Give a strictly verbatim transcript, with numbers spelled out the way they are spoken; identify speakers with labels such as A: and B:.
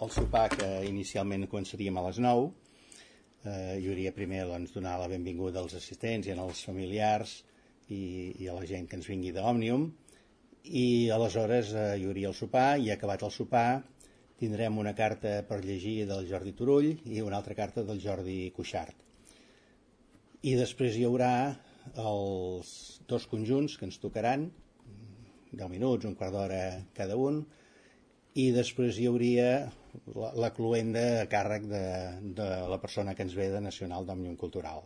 A: El sopar, que inicialment començaríem a les nou, eh, hi hauria primer doncs, donar la benvinguda als assistents i als familiars i, i a la gent que ens vingui d'Òmnium, i aleshores eh, hi hauria el sopar, i acabat el sopar tindrem una carta per llegir del Jordi Turull i una altra carta del Jordi Cuixart. I després hi haurà els dos conjunts que ens tocaran, deu minuts, un quart d'hora cada un, i després hi hauria la, la cluenda a càrrec de, de la persona que ens ve de Nacional d'Òmnium Cultural.